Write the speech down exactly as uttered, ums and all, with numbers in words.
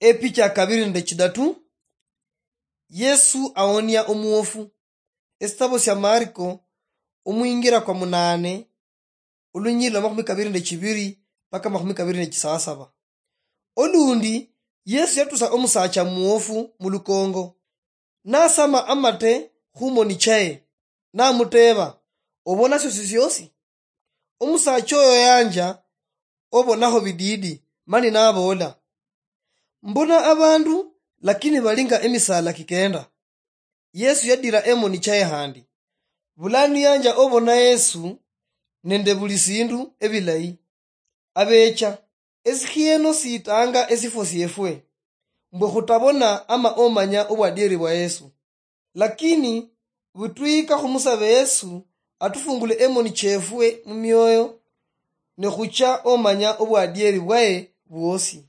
Epicha ya kabiri nende chidatu. Yesu aonia omuofu. Esitabo sia Mariko, omwingira kwa munane, olunyiriri lwa makhumi kabiri nende chibiri mpaka makhumi kabiri nende chisasaba. Olundi, Yesu yatusa omusacha muofu mulukongo, nasama amate khumoni chaye, namuteba, "Obona siosi siosi?" Omusacha oyo yanja obonaho bididi, mani naboola, "Mbona abandu, lakini bali nga emisala kikenda." Yesu yadira emoni chaye handi. Bulanu yanja obona Yesu nende buli sindu ebilayi. Abecha, esikhieno sitanga esifwo siefwe, mbwe khutabona ama omanya obwadieri bwa Yesu. Lakini butwika khumusaba Yesu atufungule emoni chefwe mumioyo, ne khucha omanya obwadieri bwaye bwosi.